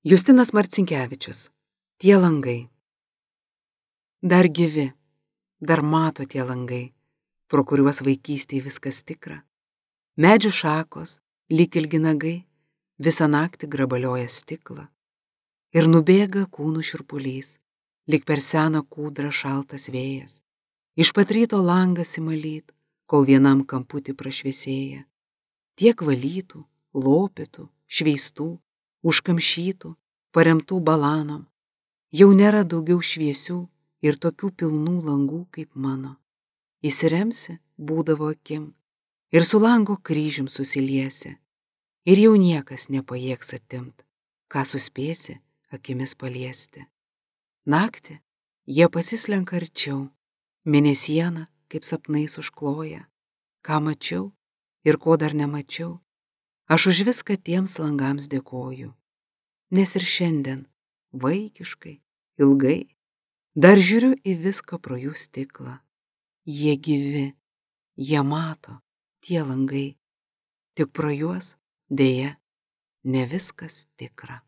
Justinas Marcinkevičius. Tie langai. Dar gyvi, dar mato tie langai, pro kuriuos vaikystėje viskas tikra. Medžių šakos, lyg ilgi nagai, visą naktį grabalioja stiklą. Ir nubėga kūnų šiurpulys, lyg per seną kūdrą šaltas vėjas. Iš pat ryto langas įmalyt, kol vienam kamputį prašviesėja. Tiek valytų, lopytų, šveistų, užkamšytų, paremtų balanom. Jau nėra daugiau šviesių ir tokių pilnų langų kaip mano. Įsiremsi, būdavo akim, ir su lango kryžium susiliesi. Ir jau niekas nepajėgs atimt, ką suspėsi akimis paliesti. Naktį jie pasislenka arčiau, mėnesiena kaip sapnais užkloja. Ką mačiau ir ko dar nemačiau, aš už viską tiems langams dėkoju. Nes ir šiandien, vaikiškai, ilgai, dar žiūriu į viską pro jų stiklą. Jie gyvi, jie mato, tie langai, tik pro juos, deja, ne viskas tikra.